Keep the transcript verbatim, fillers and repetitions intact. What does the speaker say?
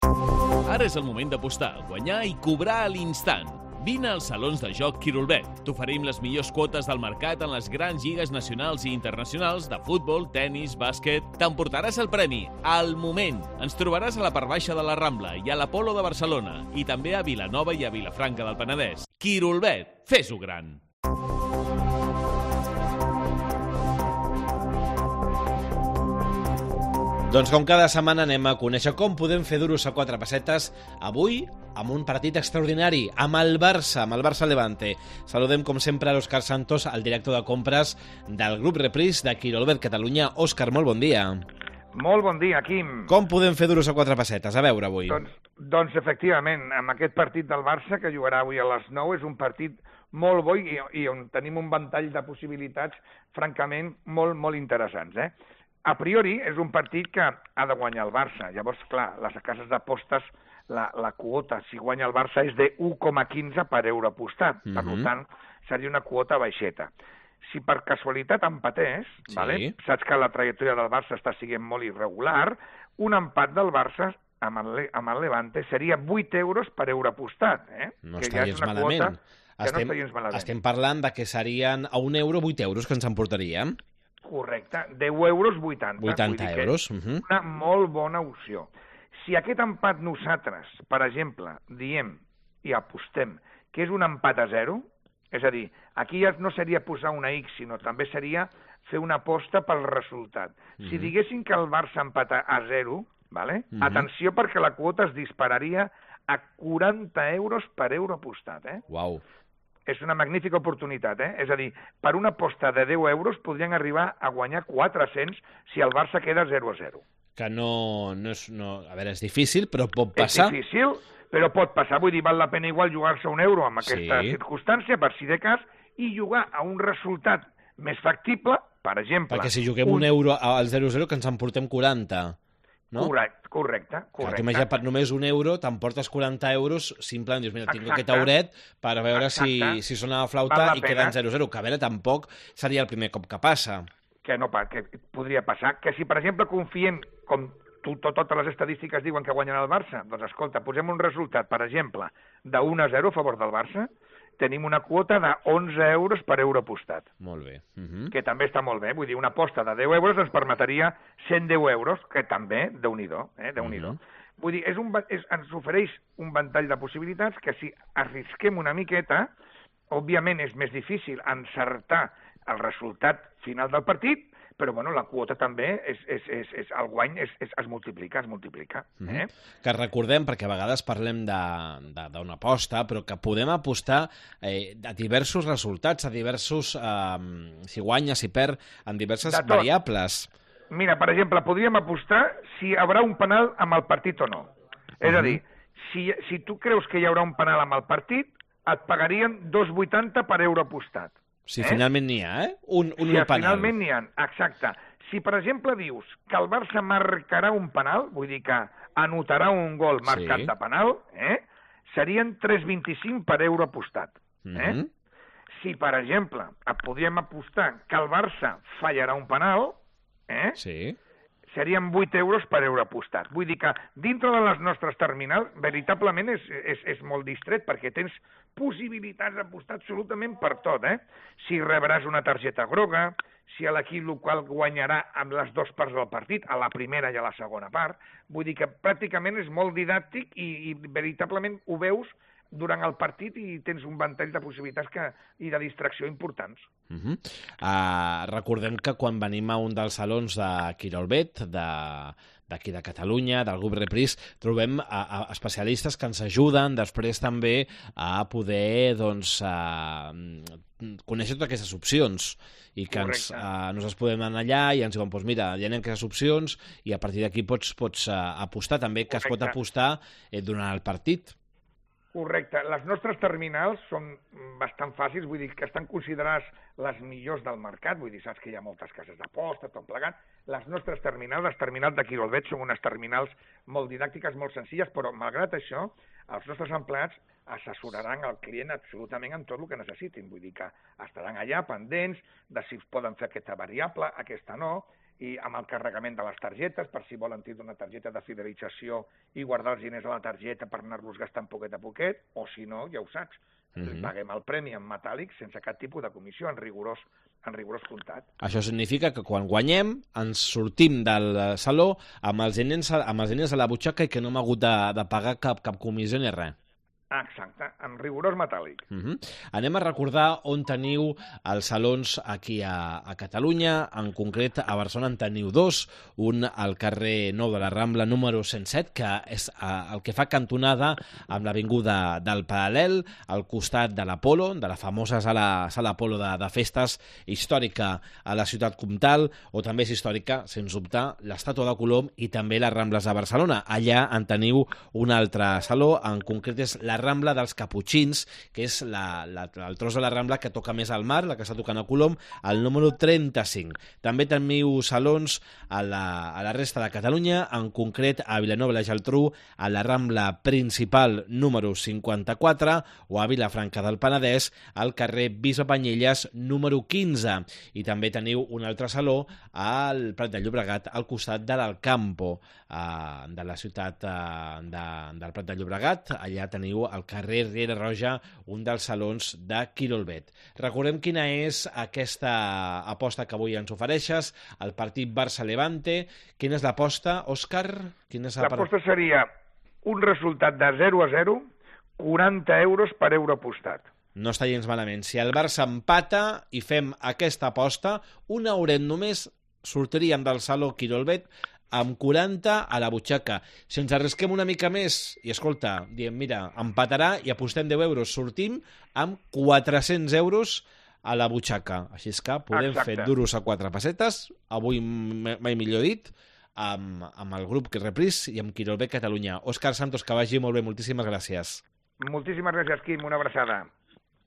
Ara és el moment d'apostar, guanyar i cobrar a l'instant. Vine als salons de joc Quirolbet. T'oferim les millors quotes del mercat en les grans lligues nacionals i internacionals de futbol, tennis, bàsquet. T'emportaràs el premi al moment. Ens trobaràs a la part baixa de la Rambla i a l'Apolo de Barcelona i també a Vilanova i a Vilafranca del Penedès. Quirolbet, fes-ho gran! Doncs com cada setmana anem a conèixer com podem fer duros a quatre pessetes, avui amb un partit extraordinari, amb el Barça, amb el Barça Levante. Saludem com sempre a l'Òscar Santos, el director de compres del grup Repris de Quirolbet Catalunya. Òscar, molt bon dia. Molt bon dia, Quim. Com podem fer duros a quatre pessetes? A veure avui. Doncs, doncs efectivament, amb aquest partit del Barça que jugarà avui a les nou és un partit molt bo i, i on tenim un ventall de possibilitats francament molt, molt interessants, eh? A priori, és un partit que ha de guanyar el Barça. Llavors, clar, les cases d'apostes, la, la quota, si guanya el Barça, és de u coma quinze per euro apostat. Mm-hmm. Per tant, seria una quota baixeta. Si per casualitat empatés, sí. vale? Saps que la trajectòria del Barça està sent molt irregular, un empat del Barça amb el, amb el Levante seria vuit euros per euro apostat. Eh? No que està gens ja malament. Estem, no estem parlant de que serien a un euro vuit euros que ens emportaríem. Correcte, deu euros vuitanta. vuitanta euros. Uh -huh. Una molt bona opció. Si aquest empat nosaltres, per exemple, diem i apostem que és un empat a zero, és a dir, aquí ja no seria posar una X, sinó també seria fer una aposta pel resultat. Uh -huh. Si diguéssim que el Barça empata a zero, vale? Uh -huh. atenció perquè la quota es dispararia a quaranta euros per euro apostat. Eh? Uau. És una magnífica oportunitat, eh? És a dir, per una aposta de deu euros podrien arribar a guanyar quatre-cents si el Barça queda zero a zero. Que no, no és... No, a veure, és difícil, però pot passar. És difícil, però pot passar. Vull dir, val la pena igual jugar-se un euro amb aquesta sí. circumstància, per si de cas, i jugar a un resultat més factible, per exemple... Perquè si juguem un, un euro al zero a zero que ens emportem quaranta, no? Correcte, correcte. correcte. Clar, per només un euro t'emportes quaranta euros, simplement dius, mira, tinc Exacte. aquest euret per veure si, si sona la flauta i queda en zero a zero, que a veure, tampoc seria el primer cop que passa. Que no, que podria passar. Que si, per exemple, confiem, com tu, tot, totes les estadístiques diuen que guanyen el Barça, doncs escolta, posem un resultat, per exemple, de un a zero a favor del Barça, tenim una quota de onze euros per euro apostat. Molt bé. Uh -huh. Que també està molt bé. Vull dir, una aposta de deu euros ens permetria cent deu euros, que també, déu-n'hi-do, eh? déu-n'hi-do. Uh -huh. Vull dir, és un, és, ens ofereix un ventall de possibilitats que si arrisquem una miqueta, òbviament és més difícil encertar el resultat final del partit, però bueno, la quota també, és, és, és, és, el guany és, és, es multiplica, es multiplica. Eh? Mm-hmm. Que recordem, perquè a vegades parlem d'una aposta, però que podem apostar eh, a diversos resultats, a diversos, eh, si guanya, si perd, en diverses variables. Mira, per exemple, podríem apostar si hi haurà un penal amb el partit o no. És uh-huh. a dir, si, si tu creus que hi haurà un penal amb el partit, et pagarien dos coma vuitanta per euro apostat. Si eh? finalment n'hi ha, eh? Un, un si penal. finalment n'hi ha, exacte. Si, per exemple, dius que el Barça marcarà un penal, vull dir que anotarà un gol marcat sí. de penal, eh? serien tres coma vint-i-cinc per euro apostat. Eh? Mm-hmm. Si, per exemple, podríem apostar que el Barça fallarà un penal, eh? sí. serien vuit euros per euro apostat. Vull dir que dintre de les nostres terminals, veritablement és, és, és molt distret, perquè tens possibilitats d'apostar absolutament per tot, eh? Si rebràs una targeta groga, si l'equip local guanyarà amb les dues parts del partit, a la primera i a la segona part, vull dir que pràcticament és molt didàctic i, i veritablement ho veus durant el partit i tens un ventall de possibilitats que, i de distracció importants. Uh-huh. uh, recordem que quan venim a un dels salons de Quirolbet, d'aquí de, de Catalunya, del grup Repris, trobem a, a especialistes que ens ajuden després també a poder doncs, a, conèixer totes aquestes opcions i que ens, uh, nosaltres podem anar allà i ens diuen, doncs mira, hi ha aquestes opcions i a partir d'aquí pots, pots uh, apostar també, que Correcte. Es pot apostar eh, durant el partit. Correcte. Les nostres terminals són bastant fàcils, vull dir que estan considerades les millors del mercat, vull dir, saps que hi ha moltes cases d'aposta, tot plegat. Les nostres terminals, les terminals de Quirolbet, són unes terminals molt didàctiques, molt senzilles, però malgrat això, els nostres empleats assessoraran el client absolutament en tot el que necessitin. Vull dir que estaran allà pendents de si poden fer aquesta variable, aquesta no, i amb el carregament de les targetes, per si volen tindre una targeta de fidelització i guardar els diners a la targeta per anar-los gastant poquet a poquet, o si no, ja ho saps, mm-hmm. paguem el premi en metàl·lic sense cap tipus de comissió, en rigorós, en rigorós comptat. Això significa que quan guanyem ens sortim del saló amb els diners, amb els diners a la butxaca i que no hem hagut de, de pagar cap, cap comissió ni res. Exacte, en rigorós metàl·lic. Uh-huh. Anem a recordar on teniu els salons aquí a, a Catalunya, en concret a Barcelona en teniu dos, un al carrer Nou de la Rambla número cent set, que és uh, el que fa cantonada amb l'avinguda del Paral·lel, al costat de l'Apolo, de la famosa sala, sala Apolo de, de festes històrica a la ciutat comtal, o també és històrica, sens dubte, l'estàtua de Colom i també les Rambles de Barcelona. Allà en teniu un altre saló, en concret és la Rambla dels Caputxins, que és la, la, el tros de la Rambla que toca més al mar, la que està tocant a Colom, al número trenta-cinc. També teniu salons a la, a la resta de Catalunya, en concret a Vilanova i la Geltrú, a la Rambla principal número cinquanta-quatre, o a Vilafranca del Penedès, al carrer Bisbe Banyeres número quinze. I també teniu un altre saló al Prat de Llobregat, al costat de l'Alcampo, eh, de la ciutat eh, de, del Prat de Llobregat. Allà teniu al carrer Riera Roja, un dels salons de Quirolbet. Recordem quina és aquesta aposta que avui ens ofereixes, el partit Barça-Levante. Quina és l'aposta, Òscar? L'aposta seria un resultat de zero a zero, quaranta euros per euro apostat. No està gens malament. Si el Barça empata i fem aquesta aposta, un euret només sortiríem del saló Quirolbet amb quaranta a la butxaca. Si ens arrisquem una mica més i, escolta, diem, mira, empatarà i apostem deu euros, sortim amb quatre-cents euros a la butxaca. Així és que podem Exacte. fer duros a quatre pessetes, avui mai millor dit, amb, amb el grup Repris i amb Quirolbet Catalunya. Òscar Santos, que vagi molt bé, moltíssimes gràcies. Moltíssimes gràcies, Quim, una abraçada.